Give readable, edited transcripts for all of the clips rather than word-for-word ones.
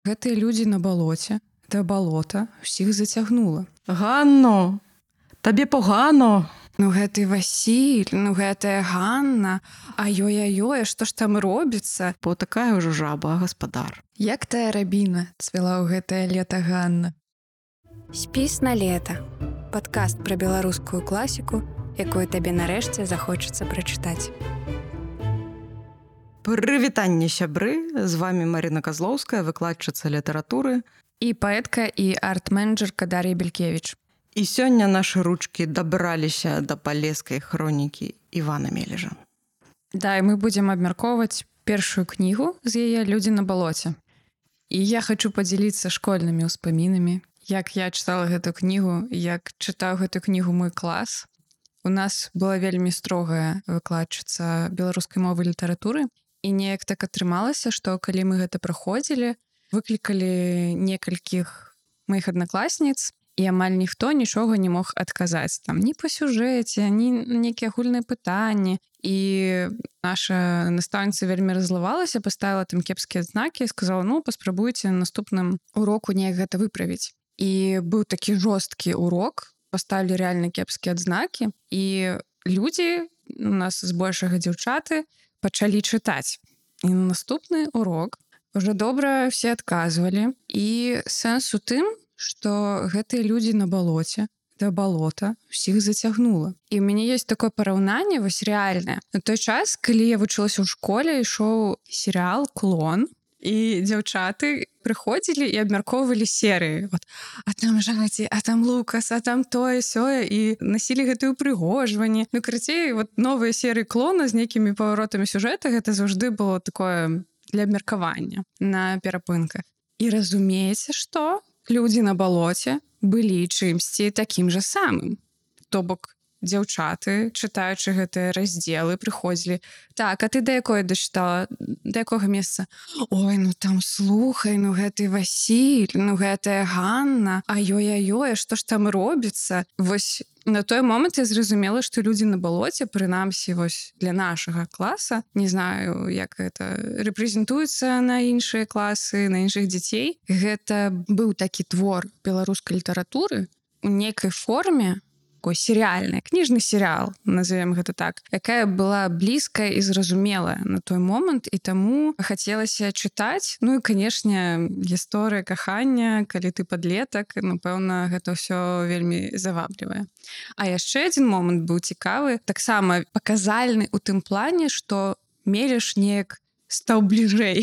Гэтыя людзі на балоце, да балота ўсіх зацягнула. Ганно, табе погано. Ну гэты Васіль, ну гэтая Ганна, а ёй-ёй, што ж там робіцца? Бо такая ўжо жаба, гаспадар. Як тая рабіна цвіла ў гэтае лета Ганна. Спіс на лета. Падкаст пра беларускую класіку, якую табе нарэшце захочацца прачытаць. Прывітанне, сябры! З вами Марина Козлоўская, выкладчыца літаратуры. І паэтка і арт-менеджерка Дар'я Белькевіч. І сёння нашы ручкі дабраліся да палескай хронікі Івана Мележа. Да, і мы будзем абмяркоўваць першую кнігу з яе «Людзі на балоце». І я хачу падзяліцца школьнымі ўспамінамі, як я чытала гэту кнігу, як чытаў гэту кнігу мой клас. У нас была вельмі строгая выкладчыца беларускай мовы і літаратуры. І неяк так атрымалася, што калі мы гэта праходзілі, выклікалі некалькіх маіх аднакласніц, і амаль ніхто нічога не мог адказаць. Там ні па сюжэце, ні нейкія агульныя пытанні. І наша настаўніца вельмі раззлавалася, паставіла там кепскія адзнакі і сказала, ну, паспрабуйце на наступным уроку неяк гэта выправіць. І быў такі жорсткі урок, паставілі рэальна кепскія адзнакі, і людзі, у нас збольшага дзяўчаты, пачалі чытаць. І на наступны урок уже добра все адказвалі. І сэнс у тым, што гэтыя людзі на балоце, да балота ўсіх зацягнула. І ў мяне ёсць такое параўнанне, вось рэальнае. На той час, калі я вучылася ў школе, ішоў серыял «Клон», і дзяўчаты прыходзілі і абмяркоўвалі серыі. Вот, а там Жаці, а там Лукас, а там тое-сёе, і насілі гэтыя ўпрыгожванні. Ну, карацей, вот новыя серыі «Клона» з нейкімі паваротамі сюжэта, гэта заўжды было такое для абмеркавання на перапынках. І разумееце, што людзі на балоце былі чымсьці такім жа самым. То бок, дзяўчаты, чытаючы гэтыя раздзелы, прыходзілі. Так, а ты да якой дачытала? Да якога месца? Ой, ну там слухай, ну гэты Васіль, ну гэтая Ганна, а ёй-ёй, што ж там робіцца? Вось на той момант я зразумела, што людзі на балоце, прынамсі, вось для нашага класа, не знаю, як гэта рэпрэзентуецца на іншыя класы, на іншых дзяцей. Гэта быў такі твор беларускай літаратуры у нейкай форме, серыяльная, кніжны серыял, назовем гэта так, якая была блізкая і зразумелая на той момант, і таму хацелася чытаць. Ну і, канешне, гісторыя кахання, калі ты падлетак, напэўна, гэта ўсё вельмі заваблівае. А яшчэ адзін момант быў цікавы, таксама паказальны ў тым плане, што Мелеш неяк стаў бліжэй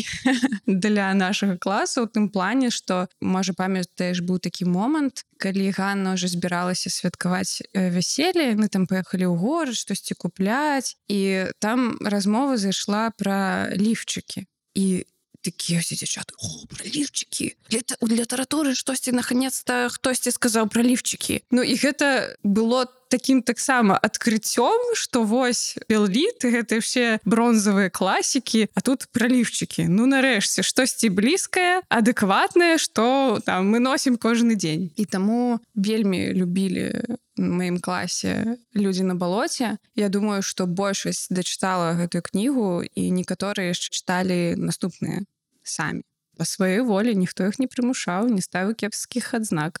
для нашага класа ў тым плане, што, можа, памятаеш, быў такі момант, калі Ганна ўжо збіралася святкаваць вяселле, мы там паехалі ў горад, штосьці купляць, і там размова зайшла пра ліфчыкі. І такія ўсе дзяўчаты, о, пра ліфчыкі. У літаратуры штосьці наконец-то хтосьці сказаў пра ліфчыкі. Ну і гэта было такім таксама адкрыццём, што вось Белліт, гэта ўсе бронзавыя класікі, а тут пра ліфчыкі. Ну нарэшце, штосьці блізкае, адэкватнае, што там мы носім кожны дзень. І таму вельмі любілі в маім класе людзі на балоце. Я думаю, што большасць дачытала гэтую кнігу, і некаторыя яшчэ чыталі наступныя самі. Па сваёй волі ніхто іх не прымушаў, не ставіў кепскіх адзнак.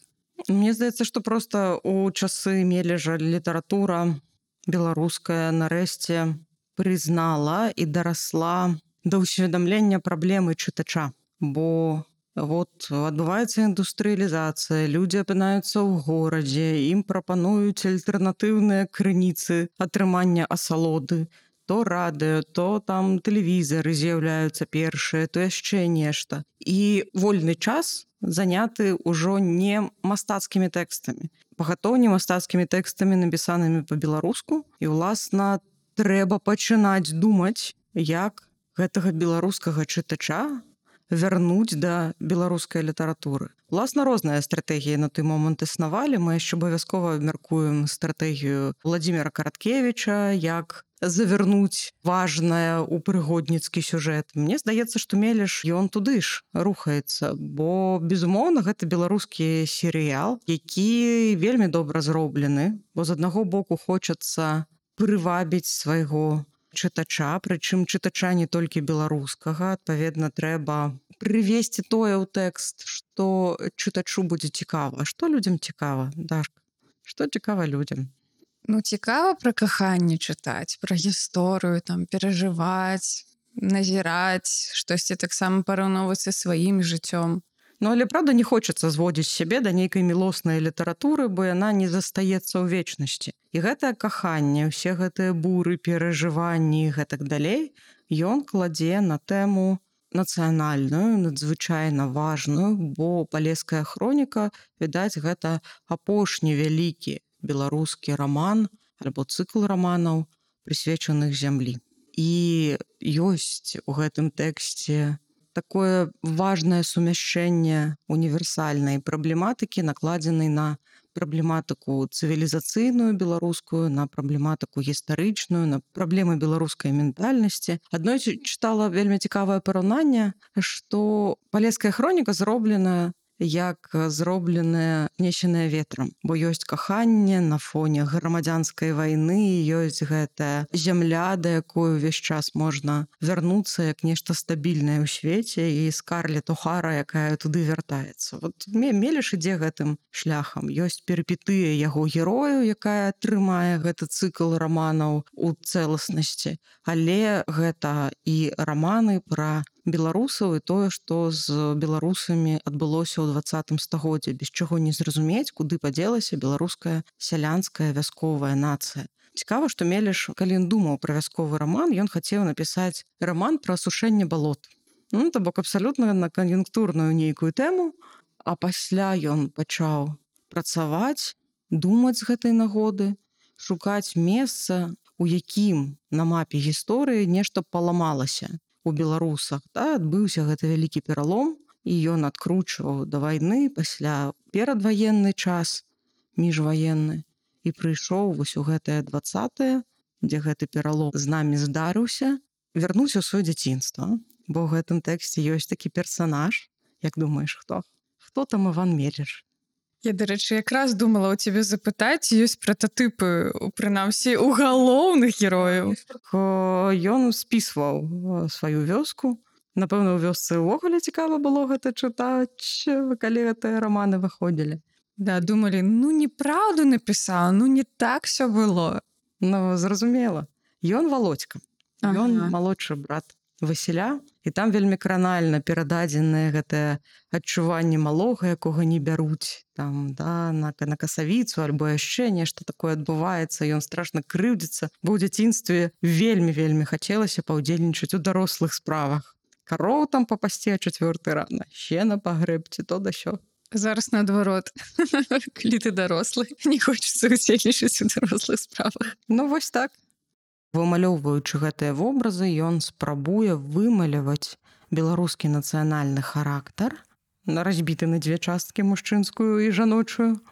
Мне здаецца, што проста у часы Мележа літаратура беларуская нарэшце прызнала і дарасла да ўсведамлення праблемы чытача. Бо вот адбываецца індустрыялізацыя, людзі апынаюцца ў горадзе, ім прапануюць альтэрнатыўныя крыніцы атрымання асалоды. То радыё, то там тэлевізары з'яўляюцца першыя, то яшчэ нешта. І вольны час заняты ўжо не мастацкімі тэкстамі. Пагатоў не мастацкімі тэкстамі, напісанымі па-беларуску. І, уласна, трэба пачынаць думаць, як гэтага беларускага чытача вярнуць да беларускай літаратуры. Уласна, розныя стратэгіі на той момант існавалі. Мы яшчэ абавязкова абмяркуем стратэгію Владзіміра Караткевіча, як завярнуць важнае ў прыгодніцкі сюжэт. Мне здаецца, што Мелеш, ён туды ж рухаецца, бо, безумоўна, гэта беларускі серыял, які вельмі добра зроблены, бо з аднаго боку хочацца прывабіць свайго чытача, прычым чытача не толькі беларускага. Адпаведна, трэба прывесці тое ў тэкст, што чытачу будзе цікава. А што людзям цікава, Дашка? Што цікава людзям? Ну, цікава пра каханне чытаць, пра гісторыю, там, перажываць, назіраць, штосьці таксама параўноўваць са сваім жыццём. Ну, але, правда, не хочацца зводзіць сябе да нейкай мілоснай літаратуры, бо яна не застаецца ў вечнасці. І гэтае каханне, усе гэтыя буры, перажыванні і гэтак далей, ён кладзе на тэму нацыянальную, надзвычайна важную, бо палеская хроніка, відаць, гэта апошні вялікі беларускі раман альбо цыкл раманаў, прысвечаных зямлі. І ёсць у гэтым тэксце такое важнае сумяшчэнне універсальнай праблематыкі, накладзенай на праблематыку цывілізацыйную беларускую, на праблематыку гістарычную, на праблемы беларускай ментальнасці. Аднойчы чытала вельмі цікавае параўнанне, што палеская хроніка зробленая як зробленая несеная ветрам, бо ёсць каханне на фоне грамадзянскай вайны, ёсць гэтая зямля, да якой увесь час можна вярнуцца як нешта стабільнае ў свеце, і Скарлет О'Хара, якая туды вяртаецца. Вот Меліш ідзе гэтым шляхам. Ёсць перыпетыя яго герою, якая трымае гэты цыкл раманаў у цэласнасці, але гэта і раманы пра беларусаў і тое, што з беларусамі адбылося ў 20 стагоддзі, без чаго не зразумець, куды падзелася беларуская сялянская вясковая нацыя. Цікава, што Меліш, калі ён думаў пра вясковы раман, ён хацеў напісаць раман пра асушэнне балот. Ну, то бок абсалютна на кан'юнктурную нейкую тэму, а пасля ён пачаў працаваць, думаць з гэтай нагоды, шукаць месца, у якім на мапе гісторыі нешта паламалася у беларусах. Да, адбыўся гэты вялікі пералом, і ён адкручваў да вайны, пасля перадваенны час, міжваенны, і прыйшоў вось у гэтае 20-е, дзе гэты пералом з намі здарыўся, вярнуўся ў сваё дзяцінства. Бо ў гэтым тэксце ёсць такі персанаж. Як думаеш, хто? Хто там Іван Меліш? Я, дарэчы, якраз думала ў цябе запытаць, ёсць прататыпы, прынамсі, у галоўных герояў. Ён спісваў сваю вёску. Напэўна, у вёсцы ўвогуле цікава было гэта чытаць, калі гэтыя раманы выходзілі. Да, думалі, ну неправду напісаў, ну не так всё было. Ну, зразумела. Ён Володька. Ён малодшы брат Васіля, і там вельмі кранальна перададзенае гэтае адчуванне малога, якога не бяруць там, да, на касавіцу альбо яшчэ нешта такое адбываецца, ён страшна крыўдзіцца, бо ў дзяцінстве вельмі хацелася паўдзельнічаць у дарослых справах. Кароў там папасці, а 4 рана, сена пагрэбці, то да сё. Зараз наадварот, калі ты дарослы, не хочацца удзельнічаць у дарослых справах. Ну, вось так. Вымалёўваючы гэтыя вобразы, ён спрабуе вымаляваць беларускі нацыянальны характар, разбіты на 2 часткі, мужчынскую і жаночую.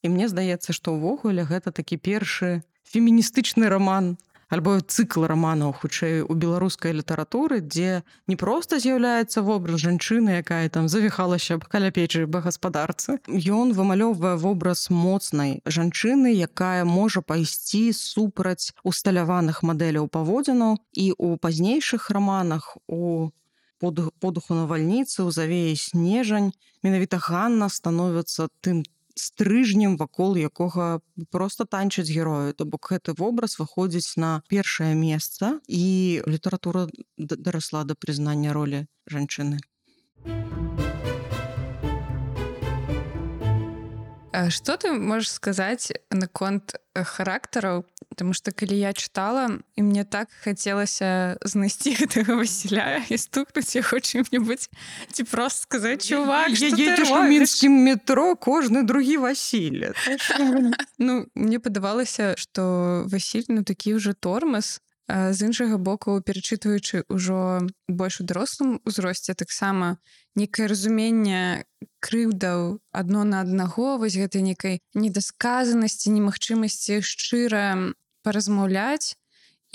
І мне здаецца, што ўвогуле гэта такі першы феміністычны раман, альбо цыкл раманаў, хутчэй, у беларускай літаратуры, дзе не проста з'яўляецца вобраз жанчыны, якая там завіхалася каля печы па гаспадарцы. Ён вымалёўвае вобраз моцнай жанчыны, якая можа пайсці супраць усталяваных мадэляў паводзінаў, і ў пазнейшых раманах, у подуху навальніцы, у завеі снежань, менавіта Ганна становіцца тым стрыжнем, вакол якога проста танчаць герою. То бок гэты вобраз выходзіць на першае месца, і літаратура дарасла да прызнання ролі жанчыны. Што ты можаш сказаць наконт характараў? Таму што калі я чытала, і мне так хацелася знайсці гэтага Васіля і стукнуць яго чым-небудзь, ці проста сказаць, чувак, што ты едзеш у робіш? мінскім метро, кожны другі Васіль. Ну, мне падавалася, што Васіль, ну, такі ўжо тормаз. З іншага боку, перачытваючы ўжо больш у дарослым узросце, таксама некае разуменне крыўдаў адно на аднаго, вось гэтай некай недасказанасці, немагчымасці шчыра паразмаўляць,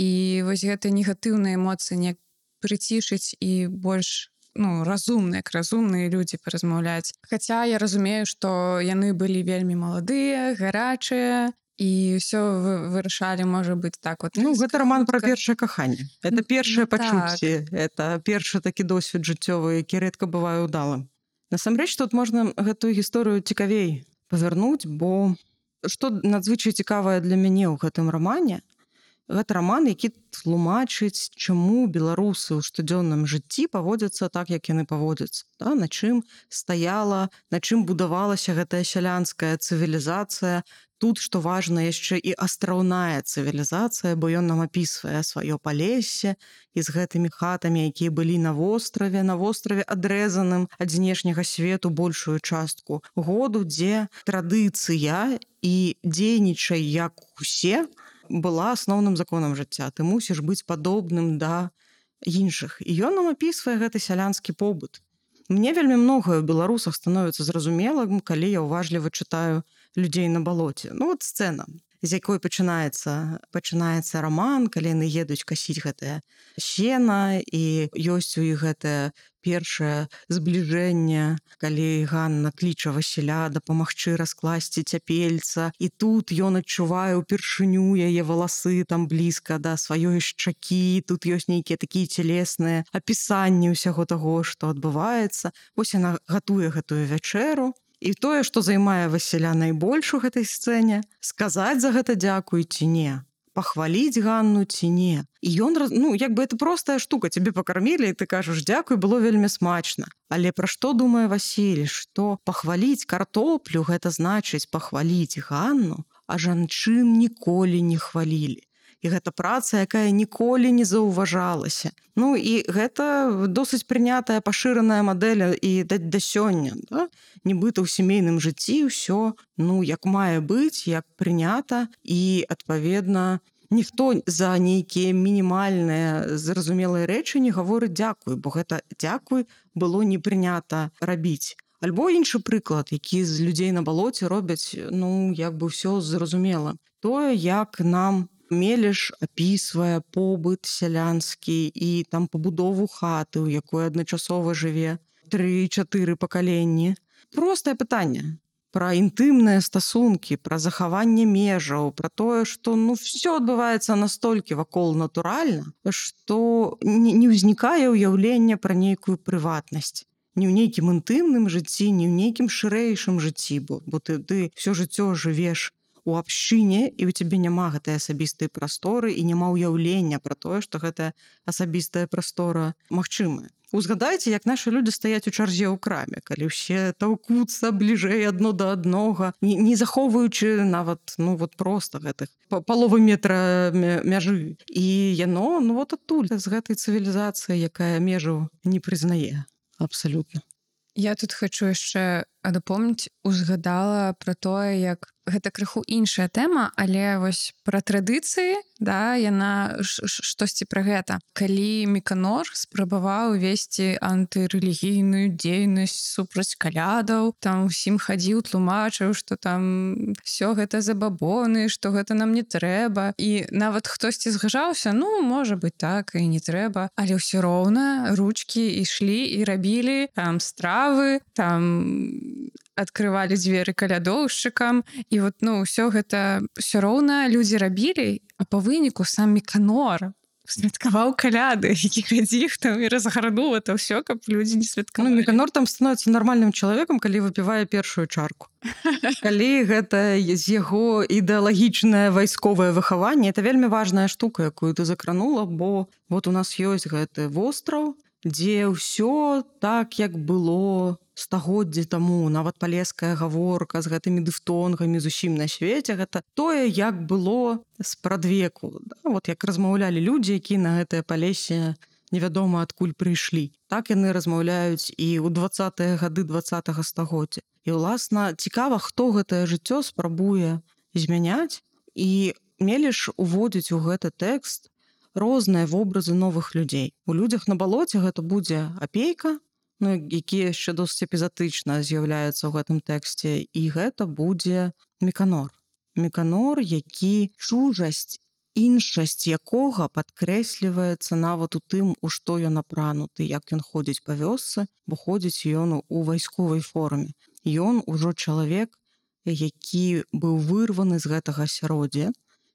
і вось гэтыя негатыўныя эмоцыі неяк прыцішыць і больш, ну, разумна, як разумныя людзі паразмаўляць. Хаця я разумею, што яны былі вельмі маладыя, гарачыя, і ўсё вырашалі, можа быць, так вот. Ну, гэта роман пра хутка. першае каханне. Это першае так. пачуцці, это першы такі досвед жыццёвы, які рэдка бывае ўдалым. Насамрэч, тут можна гэтую гісторыю цікавей павярнуць, бо што надзвычай цікавае для мяне ў гэтым рамане, гэта раман, які тлумачыць, чаму беларусы ў штодзённым жыцці паводзяцца так, як яны паводзяцца. Да? На чым стаяла, на чым будавалася гэтая сялянская цывілізацыя. Тут, што важна, яшчэ і астраўная цывілізацыя, бо ён нам апісвае сваё палессе і з гэтымі хатамі, якія былі на востраве адрэзаным ад знешняга свету большую частку году, дзе традыцыя і дзейнічай як усе была асноўным законам жыцця. Ты мусіш быць падобным да іншых. І ён нам апісвае гэты сялянскі побыт. Мне вельмі многае ў беларусах становіцца зразумелым, калі я ўважліва чытаю людзей на балоце. Ну вот сцэна, з якой пачынаецца раман, калі яны едуць касіць гэтае сена, і ёсць у іх гэтае першае збліжэнне, калі Ганна кліча Васіля дапамагчы раскласці цяпельца, і тут ён адчувае ўпершыню яе валасы там блізка да сваёй шчакі, тут ёсць нейкія такія цялесныя апісанні ўсяго таго, што адбываецца. Вось яна гатуе гэтую вячэру. І тое, што займае Васіля найбольш у гэтай сцэне, сказаць за гэта дзякуй ці не, пахваліць Ганну ці не. І ён, ну, як бы это простая штука, цябе пакармілі, і ты кажаш дзякуй, было вельмі смачна. Але пра што думае Васіль, што пахваліць картоплю гэта значыць пахваліць Ганну, а жанчын ніколі не хвалілі. І гэта праца, якая ніколі не заўважалася. Ну і гэта досыць прынятая пашыраная мадэль і да сёння. Да? Нібыта ў сямейным жыцці ўсё, ну, як мае быць, як прынята, і, адпаведна, ніхто за нейкія мінімальныя зразумелыя рэчы не гаворыць дзякуй, бо гэта дзякуй было не прынята рабіць. Альбо іншы прыклад, які з людзей на балоце робяць, ну, як бы ўсё зразумела. Тое, як нам Мелеш апісвае побыт сялянскі і там пабудову хаты, у якой адначасова жыве 3-4 пакаленні. Простае пытанне пра інтымныя стасункі, пра захаванне межаў, пра тое, што ну все адбываецца настолькі вакол натуральна, што не ўзнікае ўяўлення пра нейкую прыватнасць. Не ў нейкім інтымным жыцці, не ў нейкім шырэйшым жыцці, бо ты все жыццё жывеш у абшчыне, і ў цябе няма гэтай асабістай прасторы і няма ўяўлення пра тое, што гэтая асабістая прастора магчымая. Узгадайце, як нашы людзі стаяць у чарзе ў краме, калі ўсе таўкуцца бліжэй адно да аднога, не захоўваючы нават, ну вот проста гэтых паловы метра мяжы. І яно, ну вот адтуль, з гэтай цывілізацыі, якая межаў не прызнае. Абсалютна. Я тут хочу яшчэ дапомніць, узгадала пра тое, як гэта крыху іншая тэма, але вось пра традыцыі, да, яна штосьці пра гэта. Калі Міканор спрабаваў весці антырэлігійную дзейнасць супраць калядаў, там усім хадзіў, тлумачыў, што там все гэта забабоны, што гэта нам не трэба. І нават хтосьці згаджаўся, ну, можа быць так, і не трэба. Але ўсё роўна ручкі ішлі і рабілі там стравы, там адкрывалі дзверы калядоўшчыкам, і вот, ну, ўсё гэта ўсё роўна людзі рабілі, а па выніку сам Міканор святкаваў каляды, які хадзіў там і разгарнуў это ўсё, каб людзі не святкавалі. Ну, Міканор там становіцца нармальным чалавекам, калі выпівае першую чарку. Калі гэта з яго ідэалагічнае вайсковае выхаванне, это вельмі важная штука, якую ты закранула, бо вот у нас ёсць гэты востраў, дзе ўсё так, як было стагоддзі таму, нават палеская гаворка з гэтымі дыфтонгамі зусім на свеце, гэта тое, як было спрадвеку. Да? Вот як размаўлялі людзі, якія на гэтае палесе невядома адкуль прыйшлі. Так яны размаўляюць і ў 20-е гады 20-го стагоддзя. І, уласна, цікава, хто гэтае жыццё спрабуе змяняць, і Мелеш уводзіць у гэты тэкст розныя вобразы новых людзей. У людзях на балоце гэта будзе апейка, ну, які яшчэ досыць эпізатычна з'яўляецца ў гэтым тэксце, і гэта будзе Міканор. Міканор, які чужасць, іншасць якога падкрэсліваецца нават у тым, у што ён апрануты, як ён ходзіць па вёсцы, бо ходзіць ён у вайсковай форме. Ён ужо чалавек, які быў вырваны з гэтага асяроддзя,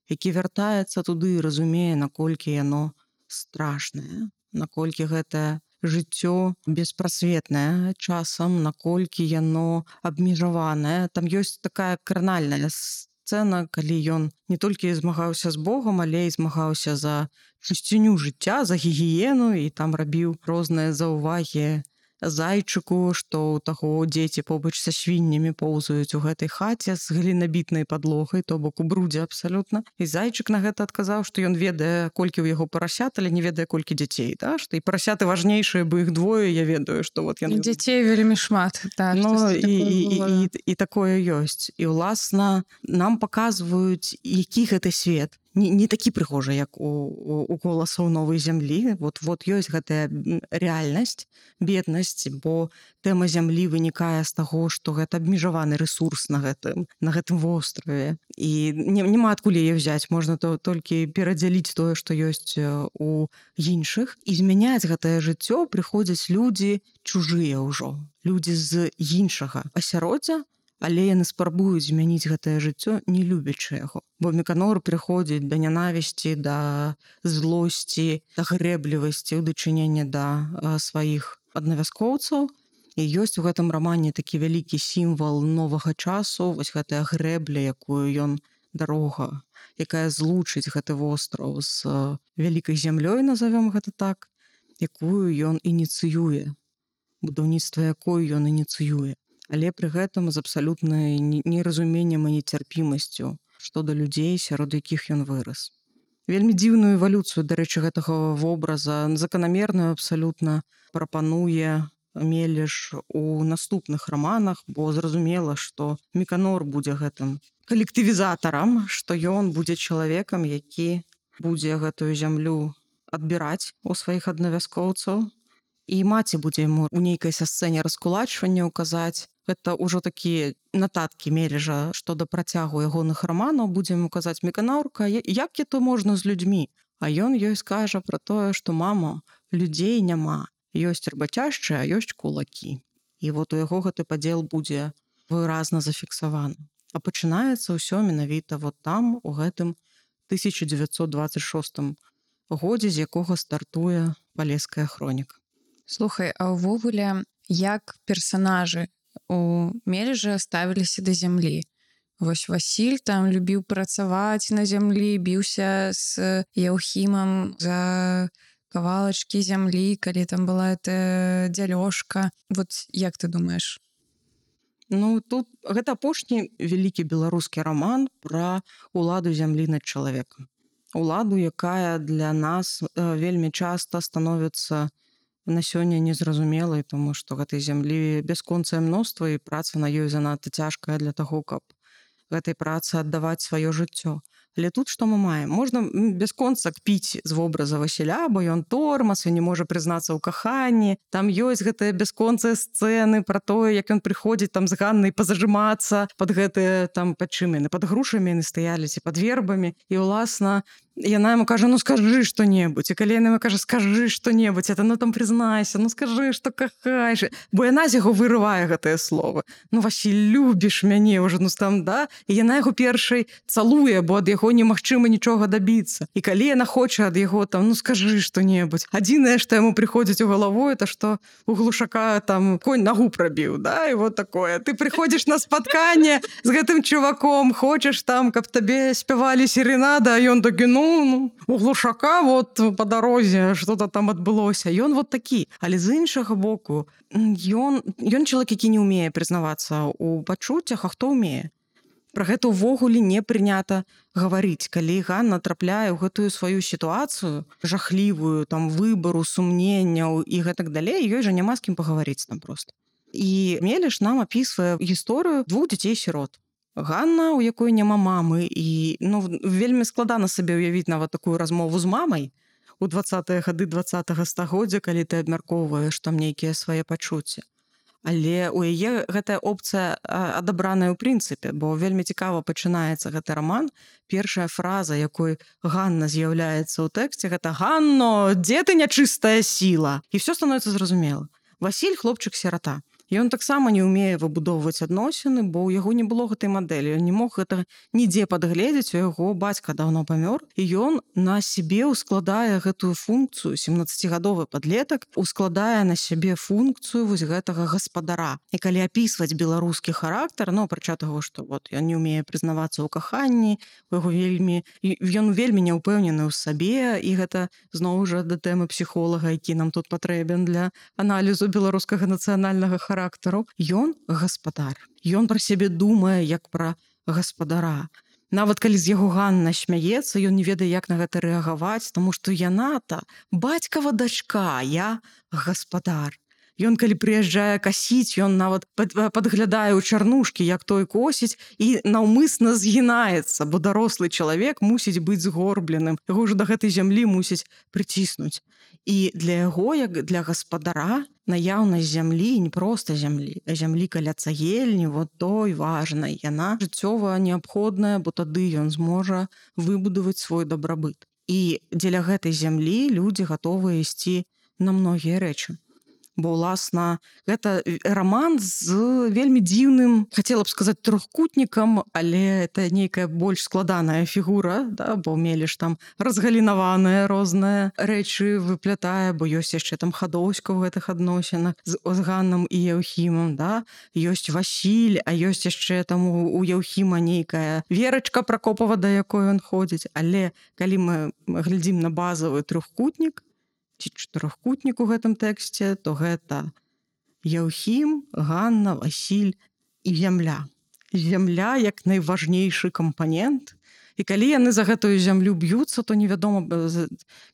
які вяртаецца туды і разумее, наколькі яно страшнае, наколькі гэтае жыццё беспрасветнае часам, наколькі яно абмежаванае. Там ёсць такая кранальная сцэна, калі ён не толькі змагаўся з Богом, але і змагаўся за чысціню жыцця, за гігіену, і там рабіў розныя заўвагі зайчыку, што ў таго дзеці побач са свіннямі поўзаюць у гэтай хаце з глінабітнай падлогай, то бок у брудзе абсалютна. І зайчык на гэта адказаў, што ён ведае, колькі ў яго парасят, але не ведае, колькі дзяцей, да? Што і парасяты важнейшыя, бо іх двое, я ведаю, што вот яны... Дзяцей вельмі шмат. Так, і такое ёсць. І, ўласна, нам паказваюць, які гэты свет. Не такі прыгожы, як у «Голасаў новай зямлі». Вот ёсць гэтая рэальнасць, беднасць, бо тэма зямлі вынікае з таго, што гэта абмежаваны рэсурс на гэтым востраве. І няма адкуль яе ўзяць. Можна толькі перадзяліць тое, што ёсць у іншых. І змяняць гэтае жыццё прыходзяць людзі чужыя ўжо. Людзі з іншага асяроддзя, але яны спрабуюць змяніць гэтае жыццё, не любячы яго. Бо Меканор прыходзіць да нянавісці, да злосці, да грэблівасці, ў дачыненні да сваіх аднавяскоўцаў. І ёсць у гэтым рамане такі вялікі сімвал новага часу, вось гэтая грэбля, якую ён, дарога, якая злучыць гэты востраў з вялікай зямлёй, назовём гэта так, якую ён ініцыюе, будаўніцтва якой ён ініцыюе. Але пры гэтым з абсалютнай неразуменнем і нецярпімасцю што да людзей, сярод якіх ён вырас. Вельмі дзіўную эвалюцыю, дарэчы, гэтага вобраза, заканамерную абсалютна прапануе Мелеш у наступных раманах, бо зразумела, што Меканор будзе гэтым калектывізатарам, што ён будзе чалавекам, які будзе гэтую зямлю адбіраць у сваіх аднавяскоўцаў. І маці будзе яму у нейкай са сцэне раскулачвання ўказаць. Гэта ўжо такія нататкі Мележа, што да працягу ягоных раманаў будзе яму казаць: «Меканорка, як это можна з людзьмі?» А ён ёй скажа пра тое, што «Мама, людзей няма, ёсць рабацяшчыя, а ёсць кулакі». І вот у яго гэты падзел будзе выразна зафіксаваны. А пачынаецца ўсё менавіта вот там, у гэтым 1926 годзе, з якога стартуе Палеская хроніка. Слухай, а ўвогуле, як персанажы у Мележа ставіліся да зямлі? Вось Васіль там любіў працаваць на зямлі, біўся з Яўхімам за кавалачкі зямлі, калі там была эта дзялёжка. Вот як ты думаеш? Ну, тут гэта апошні вялікі беларускі раман пра уладу зямлі над чалавекам. Уладу, якая для нас вельмі часта становіцца на сёння незразумелай, тому што гэтай зямлі бясконцае мноства, і праца на ёй занадта цяжкая для таго, каб гэтай працы аддаваць сваё жыццё. Але тут што мы маем? Можна бясконца кпіць з вобраза Васіля, бо ён тормаз, ён не можа прызнацца ў каханні. Там ёсць гэтыя бясконцыя сцэны пра тое, як ён прыходзіць там з Ганнай пазажымацца пад гэтыя там пад чым яны, пад грушамі яны стаялі ці пад вербамі. І ўласна яна яму кажа: «Ну скажы што-небудзь». І калі яна яму кажа: «Скажы што-небудзь», это ну там прызнайся, ну скажы, што кахаеш. Бо яна з яго вырывае гэтыя словы. «Ну, Васіль, любіш мяне ўжо, ну там, да?» І яна яго першай цалуе, бо ад яго немагчыма нічога дабіцца. І калі яна хоча ад яго там: «Ну скажы што-небудзь». Адзінае, што яму прыходзіць у галаву, это што у глушака там конь нагу прабіў, да? І вот такое. Ты прыходзіш на спатканне з гэтым чуваком, хочаш там, каб табе спявалі серенада, а ён такі: «Ну, у глушака вот по дарозе что-то там адбылося». Ён вот такі. Але з іншага боку, ён чалавек, які не ўмее прызнавацца ў пачуццях, а хто ўмее? Пра гэта ўвогуле не прынята гаварыць. Калі Ганна трапляе ў гэтую сваю сітуацыю жахлівую, там выбару, сумненняў і гэтак далей, ёй жа няма з кім пагаварыць там проста. І Мелеш нам апісвае гісторыю 2 дзяцей-сірот. Ганна, у якой няма мамы, і вельмі складана сабе ўявіць нават такую размову з мамай у 20-е гады 20-го стагоддзя, калі ты абмяркоўваеш там нейкія свае пачуцці. Але у яе гэтая опцыя адабраная ў прынцыпе, бо вельмі цікава пачынаецца гэты раман. Першая фраза, якой Ганна з'яўляецца ў тэксце, гэта: «Ганно, дзе ты нячыстая сіла?» І ўсё становіцца зразумела. Васіль — хлопчык-сірата. Ён таксама не ўмее выбудоўваць адносіны, бо ў яго не было гэтай мадэлі. Ён не мог гэта нідзе падгледзець, у яго бацька даўно памёр. І ён на сябе ўскладае гэтую функцыю, 17гадовы падлетак, ускладае на сябе функцыю вось гэтага гаспадара. І калі апісваць беларускі характар, ну, апрача таго, што вот, ён не ўмее прызнавацца ў каханні, ён вельмі няўпэўнены ў сабе, і гэта зноў жа да тэмы псіхолага, які нам тут патрэбен для аналізу беларускага нацыянальнага характару. Ён гаспадар. Ён пра сябе думае як пра гаспадара. Нават калі з яго Ганна смяецца, ён не ведае, як на гэта рэагаваць, таму што яна-то бацькава дачка, я гаспадар. Ён, калі прыязджае касіць, ён нават падглядае ў чарнушкі, як той косіць, і наўмысна згінаецца, бо дарослы чалавек мусіць быць згорбленым. Яго ўжо да гэтай зямлі мусіць прыціснуць. І для яго, як для гаспадара, наяўнасць зямлі, не проста зямлі, а зямлі каля цагельні, вот той важна. Яна жыццёва неабходная, бо тады ён зможа выбудаваць свой дабрабыт. І дзеля гэтай зямлі людзі гатовыя ісці на многія рэчы. Бо, ўласна, гэта раман з вельмі дзіўным, хацела б сказаць, трохкутнікам, але это нейкая больш складаная фігура, да? Бо Меліш там разгалінаваныя розныя рэчы выплятае, бо ёсць яшчэ там Хадоўська ў гэтых адносінах з Ганнам і Яўхімам, да? Ёсць Васіль, а ёсць яшчэ там у Яўхіма нейкая Верачка Пракопава, да якой ён ходзіць. Але калі мы глядзім на базавы трохкутнік, ці чатырохкутнік у гэтым тэксце, то гэта Яўхім, Ганна, Васіль і зямля. Зямля як найважнейшы кампанент. І калі яны за гэтую зямлю б'юцца, то невядома,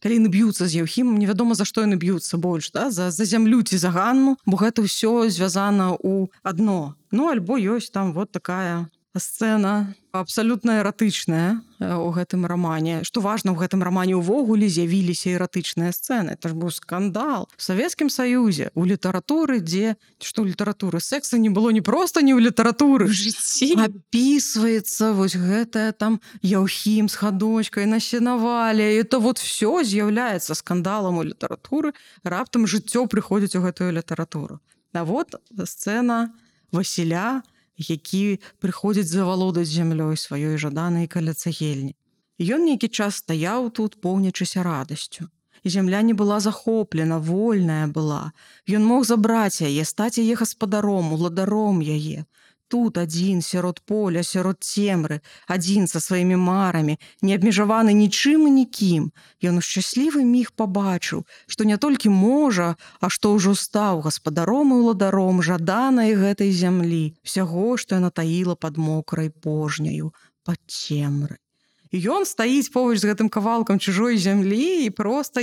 калі яны б'юцца з Яўхімам, невядома, за што яны б'юцца больш, да? За зямлю ці за Ганну, бо гэта ўсё звязана ў адно. Ну, альбо ёсць там вот такая сцэна абсалютна эратычная у гэтым рамане. Што важна, ў гэтым рамане ўвогуле з'явіліся эратычныя сцэны. Это ж быў скандал. В Савецкім Саюзе, у літаратуры, дзе... Што ў літаратуры? Секса не было не проста не ў літаратуры. У жыцці. Апісваецца вось гэтая там Яўхім з Хадочкай на сенавале. І то вот всё з'яўляецца скандалам у літаратуры. Раптам жыццё прыходзіць у гэтую літаратуру. А вот сцэна Васіля, які прыходзіць завалодаць зямлёй сваёй жаданай каля цагельні. Ён нейкі час стаяў тут, поўнячыся радасцю. І зямля не была захоплена, вольная была. Ён мог забраць яе, стаць яе гаспадаром, уладаром яе. Тут адзін, сярод поля, сярод цемры, адзін са сваімі марамі, не абмежаваны нічым і нікім. Ён у шчаслівы міг пабачыў, што не толькі можа, а што ўжо стаў гаспадаром і ўладаром жаданай гэтай зямлі, усяго, што яна таіла пад мокрай пожняю, пад цемрай. І ён стаіць побач з гэтым кавалкам чужой зямлі і проста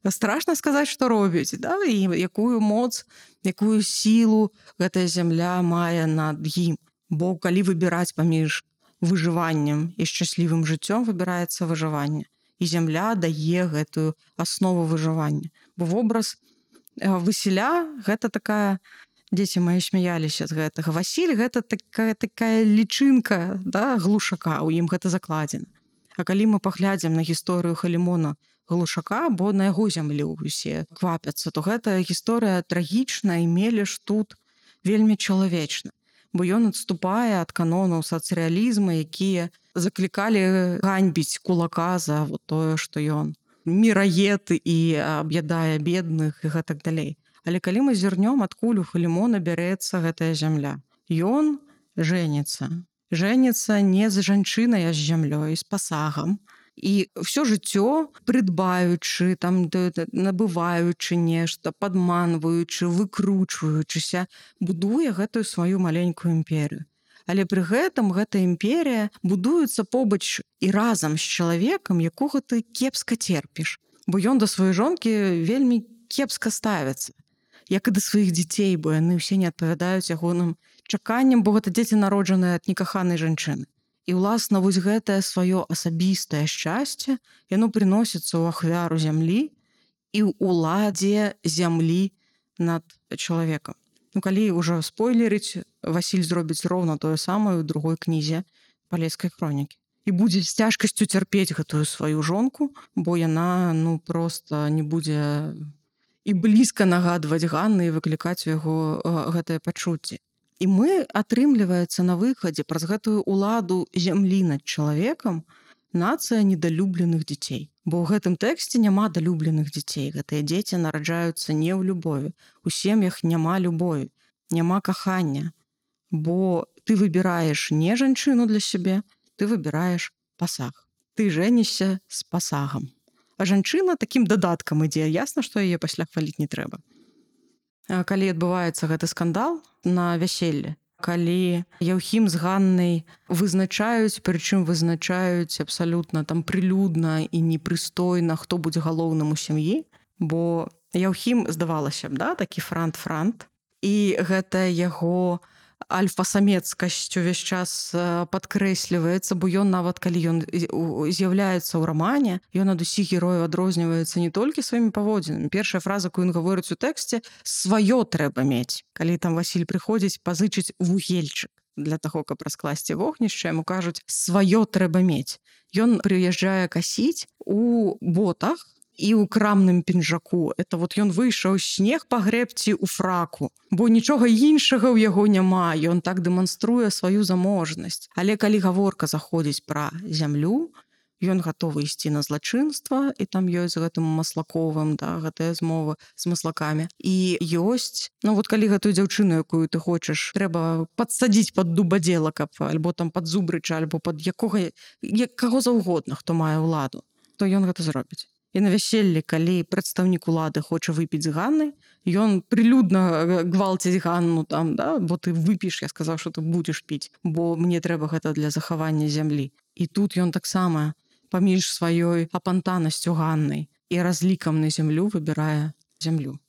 страшна сказаць, што робіць, да? І якую моц, якую сілу гэтая зямля мае над ім. Бо калі выбіраць паміж выжываннем і шчаслівым жыццём, выбіраецца выжыванне. І зямля дае гэтую аснову выжывання. Бо вобраз Васіля гэта такая... Дзеці мае смяяліся з гэтага. Васіль гэта такая лічынка, да, глушака, у ім гэта закладзена. А калі мы паглядзім на гісторыю Халімона Глушака, бо на яго зямлю усе квапяцца, то гэта гісторыя трагічная, і Меліш тут вельмі чалавечна. Бо ён адступае ад канонаў сацыялізма, якія заклікалі ганьбіць кулака за вот тое, што ён міраед і аб'ядае бедных і гэтак далей. Але калі мы зірнём, адкуль у Халімона бярэцца гэтая зямля. Ён жэніцца. Жэніцца не з жанчынай, а з зямлёй, з пасагам. І ўсё жыццё, прыдбаючы, там, набываючы нешта, падманваючы, выкручваючыся, будуе гэтую сваю маленькую імперію. Але пры гэтым гэта імперія будуецца побач і разам з чалавекам, якога ты кепска терпіш. Бо ён да сваёй жонкі вельмі кепска ставіцца. Як і да сваіх дзяцей, бо яны ўсе не адпавядаюць ягоным чаканням, бо гэта дзеці народжаныя ад некаханай жанчыны. І, уласна, вось гэтае сваё асабістае шчасце, яно прыносіцца ў ахвяру зямлі і ў уладзе зямлі над чалавекам. Ну, калі ўжо спойлерыць, Васіль зробіць роўна тое самае ў другой кнізе Палескай хронікі. І будзе з цяжкасцю цярпець гэтую сваю жонку, бо яна, проста не будзе і блізка нагадваць Ганны і выклікаць у яго гэтыя пачуцці. І мы, атрымліваецца, на выхадзе праз гэтую ўладу зямлі над чалавекам нацыя недалюбленых дзяцей. Бо ў гэтым тэксце няма далюбленых дзяцей. Гэтыя дзеці нараджаюцца не ў любові. У сем'ях няма любові, няма кахання. Бо ты выбіраеш не жанчыну для сябе, ты выбіраеш пасаг. Ты жэнішся з пасагам. А жанчына такім дадаткам ідзе. Ясна, што яе пасля хваліць не трэба. Калі адбываецца гэты скандал на вяселле, калі Яўхім з Ганнай вызначаюць, прычым вызначаюць абсалютна там прылюдна і непрыстойна, хто будзе галоўным у сям'і, бо Яўхім, здавалася б, да, такі франт, і гэта яго альфа-самецкасць увесь час падкрэсліваецца, бо ён нават калі ён з'яўляецца ў рамане, ён ад усіх герояў адрозніваецца не толькі сваімі паводзінамі. Першая фраза, якую ён гаворыць у тэксце, сваё трэба мець. Калі там Васіль прыходзіць пазычыць вугельчык для таго, каб раскласці вогнішча, яму кажуць, сваё трэба мець. Ён прыязджае касіць у ботах і ў крамным пінжаку. Это вот ён выйшаў снег пагрэбці ў фраку, бо нічога іншага ў яго няма. Ён так дэманструе сваю заможнасць. Але калі гаворка заходзіць пра зямлю, ён гатовы ісці на злачынства, і там ёсць з гэтым Маслаковым, да, гэтая змова з маслакамі. І ёсць, ну вот калі гэтую дзяўчыну, якую ты хочаш, трэба падсадзіць пад дубадзела, каб альбо там пад Зубрыча, альбо пад каго заўгодна, хто мае ўладу, то ён гэта зробіць. І на вяселлі, калі прадстаўнік улады хоча выпіць з Ганнай, ён прылюдна гвалціць Ганну там, да, бо ты выпіш, я сказаў, што ты будзеш піць, бо мне трэба гэта для захавання зямлі. І тут ён таксама паміж сваёй апантанасцю Ганнай і разлікам на зямлю выбірае зямлю.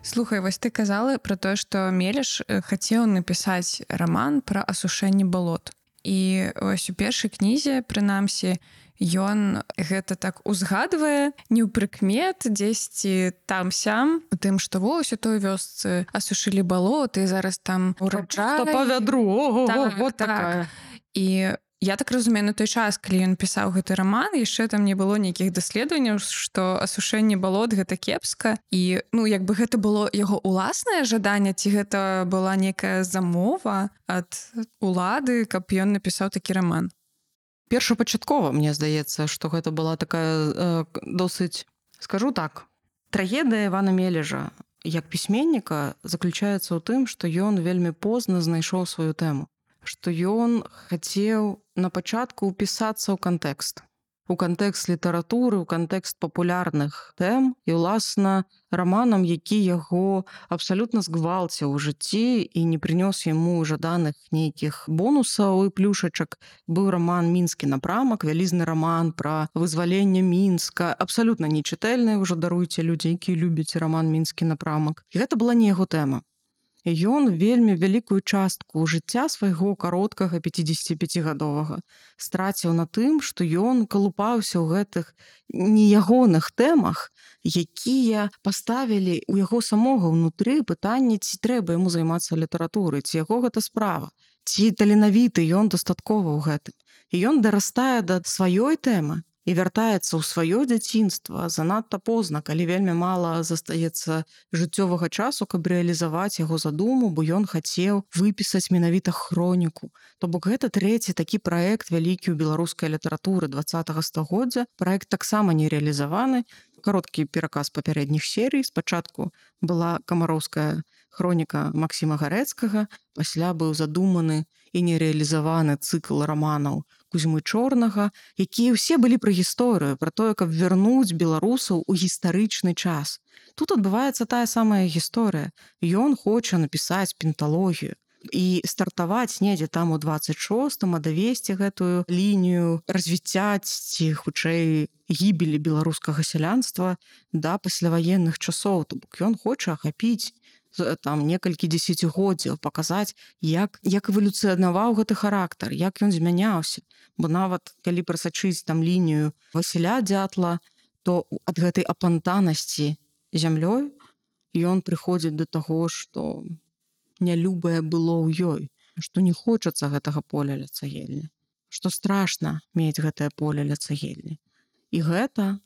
Слухай, вось ты казала пра тое, што Мелеш хацеў напісаць раман пра асушэнне балот. І ось у першай кнізе, прынамсі, ён гэта так узгадвае, не ў прыкмет, дзесьці там-сям, у тым, што вось у той вёсцы асушылі балоты, зараз там ураджай. Па вядру, ого, так, вот так. такая. І я так разумею, на той час, калі ён пісаў гэты раман, яшчэ там не было нейкіх даследаванняў, што асушэнне балот гэта кепска. І, ну, як бы гэта было яго ўласнае жаданне, ці гэта была нейкая замова ад улады, каб ён напісаў такі раман? Першапачаткова, мне здаецца, што гэта была такая досыць, скажу так, трагедыя Івана Мележа як пісьменніка заключаецца ў тым, што ён вельмі позна знайшоў сваю тэму. Што ён хацеў на пачатку ўпісацца ў кантэкст літаратуры, у кантэкст папулярных тэм і, ўласна, раманам, які яго абсалютна згвалціў у жыцці і не прынёс яму жаданых нейкіх бонусаў і плюшачак. Быў раман «Мінскі напрамак», вялізны раман пра вызваленне Мінска, абсалютна нечытальны, ўжо даруйце людзі, якія любяць раман «Мінскі напрамак». І гэта была не яго тэма. Ён вельмі вялікую частку жыцця свайго кароткага 55-гадовага страціў на тым, што ён калупаўся ў гэтых неягоных тэмах, якія паставілі ў яго самога ўнутры пытанне, ці трэба яму займацца літаратурай, ці яго гэта справа, ці таленавіты ён дастаткова ў гэтым. І ён дарастае да сваёй тэмы і вяртаецца ў сваё дзяцінства занадта позна, калі вельмі мала застаецца жыццёвага часу, каб рэалізаваць яго задуму, бо ён хацеў выпісаць менавіта хроніку. То бок гэта трэці такі праект вялікі ў беларускай літаратуры 20-го стагоддзя. Праект таксама не рэалізаваны. Кароткі пераказ папярэдніх серый. Спачатку была камароўская хроніка Максіма Гарэцкага, пасля быў задуманы і нерэалізаваны цыкл раманаў Кузьмы Чорнага, якія ўсе былі пра гісторыю, пра тое, каб вярнуць беларусаў у гістарычны час. Тут адбываецца тая самая гісторыя. Ён хоча напісаць пенталогію і стартаваць недзе там у 26-м, а давесці гэтую лінію развіцця ці, хутчэй, гібелі беларускага сялянства да пасляваенных часоў. То бок ён хоча ахапіць там некалькі дзесяцігоддзяў, паказаць, як эвалюцыянаваў гэты характар, як ён змяняўся. Бо нават калі прасачыць там лінію Васіля Дзятла, то ад гэтай апантанасці зямлёй ён прыходзіць да таго, што нялюбае было ў ёй, што не хочацца гэтага поля ля цагельні, што страшна мець гэтае поле ля цагельні. І гэта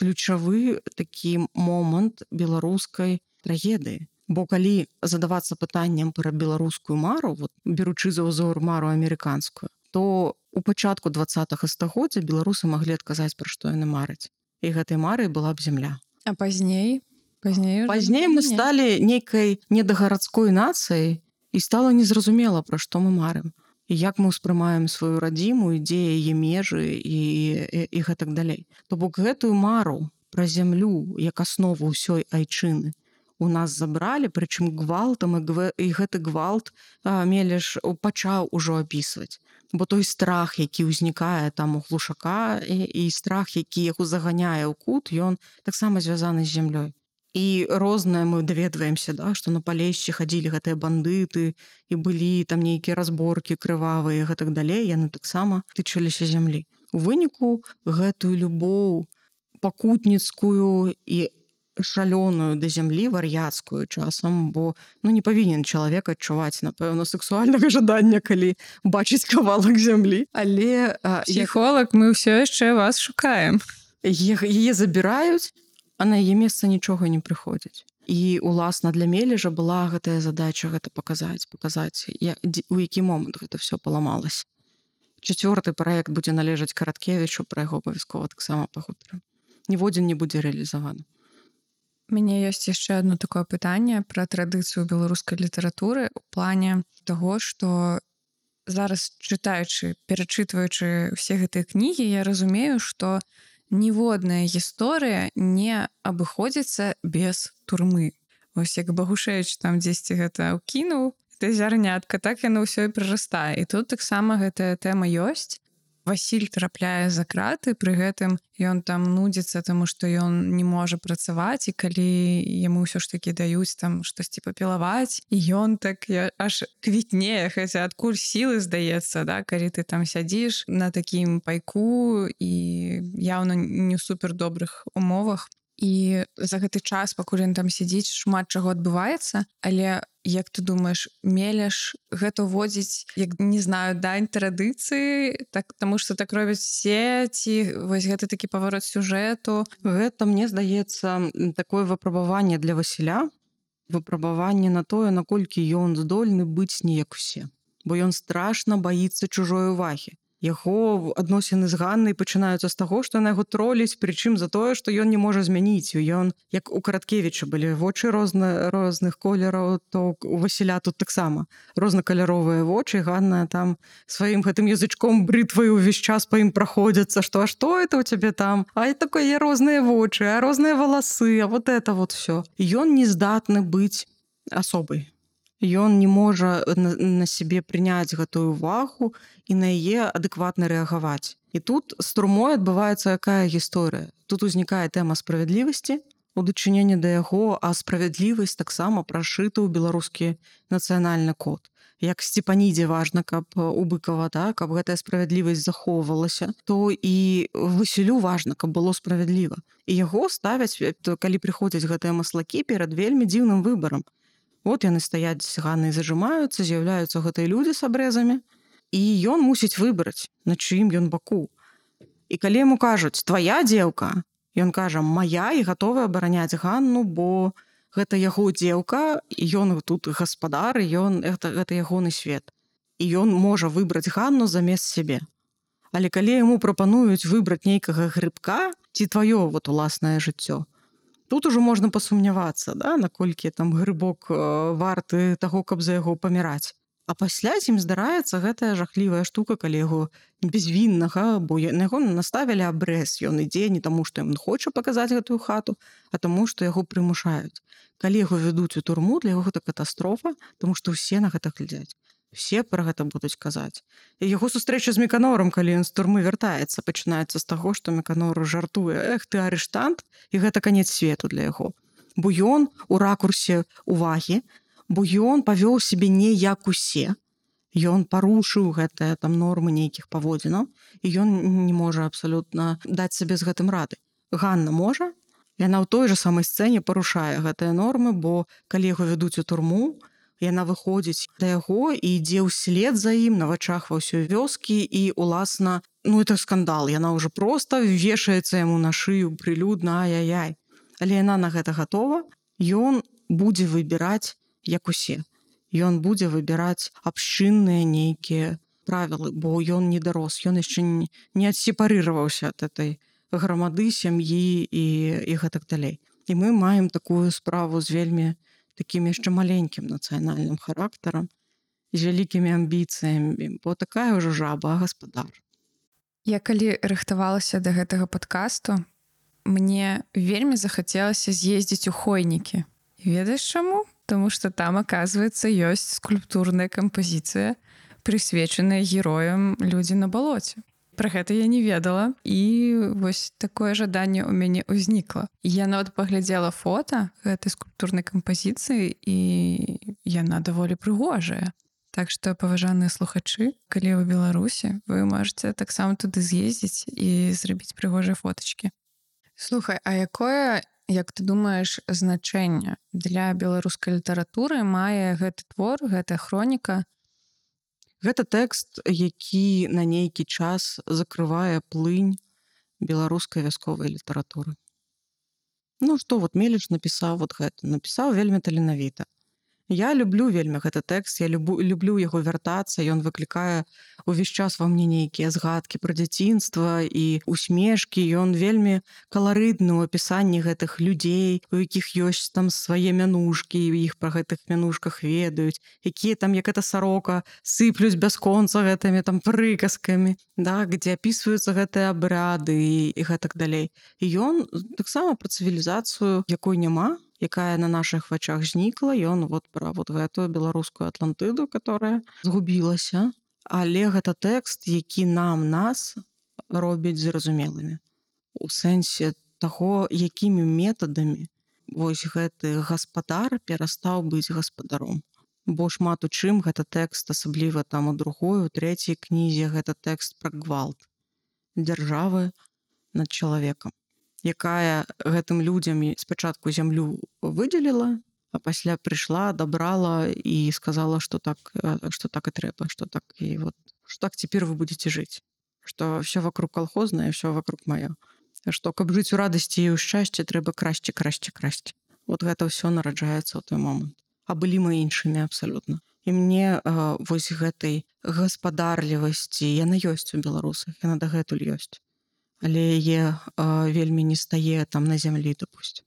ключавы такі момант беларускай трагедыі. Бо калі задавацца пытаннем пра беларускую мару, вот, беручы за ўзор мару амерыканскую, то у пачатку 20-го стагоддзя беларусы маглі адказаць, пра што яны мараць. І гэтай марай была б зямля. А пазней Мы сталі нейкай недагарадской нацыяй, і стала незразумела, пра што мы марым. І як мы ўспрымаем сваю радзіму, і дзе яе межы і гэтак далей. То бок гэтую мару пра зямлю як аснову ўсёй айчыны у нас забралі, прычым гвалтам, і гэты гвалт Мелеш пачаў ужо апісваць. Бо той страх, які ўзнікае там у глушака, і страх, які яго заганяе ў кут, ён таксама звязаны з зямлёй. І рознае мы даведваемся, да, што на Палешчы хадзілі гэтыя бандыты, і былі там нейкія разборкі крывавыя і гэтак далей, яны таксама тычыліся зямлі. У выніку гэтую любоў пакутніцкую і шалёную да зямлі, вар'яцкую часам, бо не павінен чалавек адчуваць, напэўна, сексуальнага жадання, калі бачыць кавалак зямлі. Але псіхолог, мы ўсё яшчэ вас шукаем. Яе забіраюць, а на яе месца нічога не прыходзіць. І, уласна, для Мележа была гэтая задача гэта паказаць, у які момант гэта ўсё паламалася. 4-й праект будзе належаць Караткевічу, пра яго абавязкова таксама пагутарым. Ніводзін не будзе рэалізаваны. У мяне ёсць яшчэ одно такое пытанне пра традыцыю беларускай літаратуры у плане таго, што зараз чытаючы, перачытваючы ўсе гэтыя кнігі, я разумею, што ніводная гісторыя не абыходзіцца без турмы. Вось як Багушевіч там дзесьці гэта ўкінуў, гэта зярнятка, так яно ўсё і прырастае. І тут таксама гэтая тэма ёсць. Васіль трапляе за краты, пры гэтым ён там нудзіцца, таму што ён не можа працаваць, і калі яму ўсё ж такі даюць там штосьці папілаваць, і ён так аж квітнее, хаця адкуль сілы, здаецца, да, калі ты там сядзіш на такім пайку і яўна не ў супер добрых умовах. І за гэты час, пакуль ён там сядзіць, шмат чаго адбываецца, але як ты думаеш, Мелеш гэта ўводзіць, як, не знаю, дань традыцыі, так, таму што так робяць все, ці вось гэта такі паварот сюжэту? Гэта, мне здаецца, такое выпрабаванне для Васіля, выпрабаванне на тое, наколькі ён здольны быць не як усе. Бо ён страшна баіцца чужой увагі. Яго адносіны з Ганнай пачынаюцца з таго, што яна яго троліць, прычым за тое, што ён не можа змяніць. Ён, як у Караткевіча былі вочы розных колераў, то у Васіля тут таксама рознакаляровыя вочы. Ганна там сваім гэтым язычком брытваю ўвесь час па ім праходзяцца, што а што это у цябе там? А такое розныя вочы, а розныя валасы, а вот это вот всё. Ён не здатны быць асобай. Ён не можа на сябе прыняць гэтую увагу і на яе адэкватна рэагаваць. І тут з турмой адбываецца якая гісторыя. Тут узнікае тэма справядлівасці у дачыненні да яго, а справядлівасць таксама прашыта ў беларускі нацыянальны код. Як Сцепанідзе важна, каб у Быкава, да, каб гэтая справядлівасць захоўвалася, то і Васілю важна, каб было справядліва. І яго ставяць, калі прыходзяць гэтыя маслакі, перад вельмі дзіўным выбарам. Вот яны стаяць з Ганнай, зажимаюцца, з'яўляюцца гэтыя людзі з абрэзамі, і ён мусіць выбраць, на чыім ён баку. І калі яму кажуць: твая дзеўка, ён кажа: мая, і гатовы абараняць Ганну, бо гэта яго дзеўка, і ён тут гаспадар, і гэта ягоны свет. І ён можа выбраць Ганну замест сябе. Але калі яму прапануюць выбраць нейкага грыбка, ці тваё вот уласнае жыццё, тут ужо можна пасумнявацца, да, наколькі там грыбок варты таго, каб за яго паміраць. А пасля з ім здараецца гэтая жахлівая штука, калі яго безвіннага, бо на яго наставілі абрэз. Ён ідзе не таму, што ён хоча паказаць гэтую хату, а таму, што яго прымушаюць. Калі яго вядуць у турму, для яго гэта катастрофа, таму што ўсе на гэта глядзяць. Все пра гэта будуць казаць. І яго сустрэча з Меканорам, калі ён з турмы вяртаецца, пачынаецца з таго, што Меканор жартуе: эх, ты арыштант, і гэта канец свету для яго. Бо ён у ракурсе увагі, бо ён павёў сябе не як усе. Ён парушыў гэтыя там нормы нейкіх паводзінаў, і ён не можа абсалютна даць сабе з гэтым рады. Ганна можа, яна ў той жа самай сцэне парушае гэтыя нормы, бо калі яго вядуць у турму, яна выходзіць да яго і ідзе ўслед за ім на вачах ва ўсёй вёскі і, уласна, ну это скандал, яна ўжо проста вешаецца яму на шыю прылюдна, ай-яй-яй. Але яна на гэта гатова, ён будзе выбіраць як усе. Ён будзе выбіраць абшчынныя нейкія правілы, бо ён не дарос, ён яшчэ не адсепарыраваўся ад этой грамады, сям'і і гэтак далей. І мы маем такую справу з вельмі такім яшчэ маленькім нацыянальным характарам, з вялікімі амбіцыямі, бо такая ўжо жаба, гаспадар. Я калі рыхтавалася да гэтага падкасту, мне вельмі захацелася з'ездзіць у Хойнікі. І ведаеш чаму? Таму што там, аказваецца, ёсць скульптурная кампазіцыя, прысвечаная героям людзі на балоце. Пра гэта я не ведала, і вось такое жаданне ў мяне ўзнікла. Я нават паглядзела фота гэтай скульптурнай кампазіцыі, і яна даволі прыгожая. Так што, паважаныя слухачы, калі ў Беларусі, вы можаце таксама туды з'ездзіць і зрабіць прыгожыя фотачкі. Слухай, а якое, як ты думаеш, значэнне для беларускай літаратуры мае гэты твор, гэтая хроніка? Гэта тэкст, які на нейкі час закрывае плынь беларускай вясковай літаратуры. Ну што, вот Меліч напісаў вот гэта, напісаў вельмі таленавіта. Я люблю вельмі гэты тэкст, я люблю яго вяртацца, ён выклікае увесь час ва мне нейкія згадкі пра дзяцінства і усмешкі, ён вельмі каларытны ў апісанні гэтых людзей, у якіх ёсць там свае мянушкі, і іх пра гэтых мянушках ведаюць, якія там, як эта сарока, сыплюць бясконца гэтымі там прыказкамі, да, где апісваюцца гэтыя абряды і гэтак далей. І ён таксама пра цывілізацыю, якой няма, якая на нашых вачах знікла, ён вот пра вот гэтую беларускую Атлантыду, которая згубілася. Але гэта тэкст, які нас робіць зразумелымі. У сэнсе таго, якімі метадамі вось гэты гаспадар перастаў быць гаспадаром. Бо шмат у чым гэта тэкст, асабліва там у другой, у трэцяй кнізе, гэта тэкст пра гвалт дзяржавы над чалавекам, якая гэтым людзям спачатку зямлю выдзеліла, а пасля прыйшла, адабрала і сказала, што так і трэба, што так і вот, што так цяпер вы будзеце жыць, што ўсё вокруг калхознае, ўсё вокруг маё, што каб жыць у радасці і ў шчасці, трэба красці. Вот гэта ўсё нараджаецца ў той момант. А былі мы іншымі абсалютна. І мне вось гэтай гаспадарлівасці, яна ёсць у беларусах, яна дагэтуль ёсць. Але яе вельмі не стае там на зямлі, допусцім.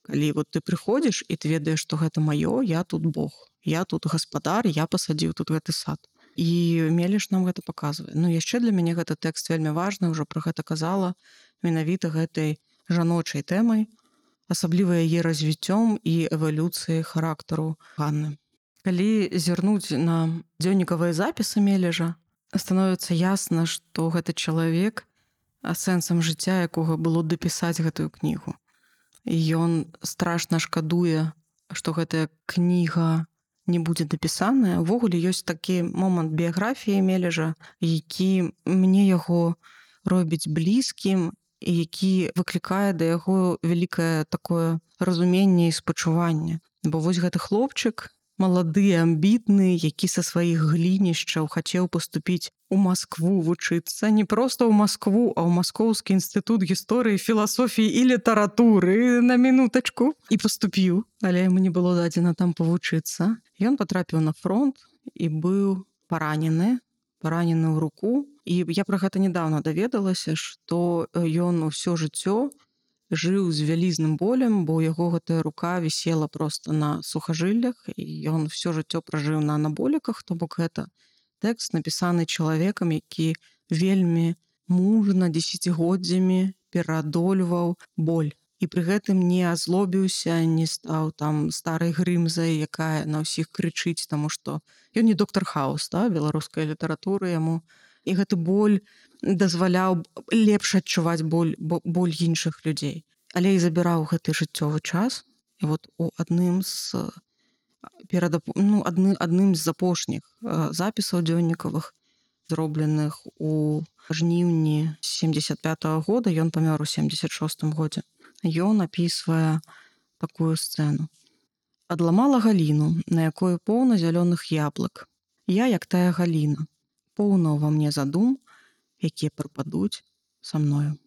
Калі вот ты прыходзіш і ты ведаеш, што гэта маё, я тут Бог, я тут гаспадар, я пасадзіў тут гэты сад. І Меліш нам гэта паказвае. Ну, яшчэ для мяне гэты тэкст вельмі важны, ўжо пра гэта казала, менавіта гэтай жаночай тэмай, асабліва яе развіццём і эвалюцыяй характару Ганны. Калі зірнуць на дзённікавыя запісы Мележа, становіцца ясна, што гэта чалавек, а сэнсам жыцця якога было дапісаць гэтую кнігу. І ён страшна шкадуе, што гэтая кніга не будзе дапісаная. Увогуле ёсць такі момант біяграфіі Мележа, які мне яго робіць блізкім і які выклікае да яго вялікае такое разуменне і спачуванне. Бо вось гэты хлопчык, малады, амбітны, які са сваіх глінішчаў хацеў паступіць у Маскву вучыцца, не проста ў Маскву, а ў Маскоўскі інстытут гісторыі, філасофіі і літаратуры на мінутачку, і паступіў, але яму не было дадзена там павучыцца. Ён патрапіў на фронт і быў паранены ў руку. І я пра гэта нядаўна даведалася, што ён усё жыццё жыў з вялізным болем, бо яго гэтая рука вісела проста на сухажыллях, і ён всё жыццё пражыў на анаболіках, то бок гэта тэкст напісаны чалавекам, які вельмі мужна дзесяцігоддзямі пераадольваў боль. І пры гэтым не азлобіўся, не стаў там старай грымзай, якая на ўсіх крычыць, таму што ён не доктар Хаус, да, беларускай літаратуры яму. І гэты боль дазваляў лепш адчуваць боль іншых людзей. Але і забіраў гэты жыццёвы час. І вот у адным з апошніх запісаў дзённікавых, зробленых у жніўні 75-го года, ён памёр у 76-м годзе, ён апісвае такую сцэну. Адламала галіну, на якой поўна зялёных яблык. Я, як тая галіна, поўна ўва мне задум, якія прыпадуць са мною.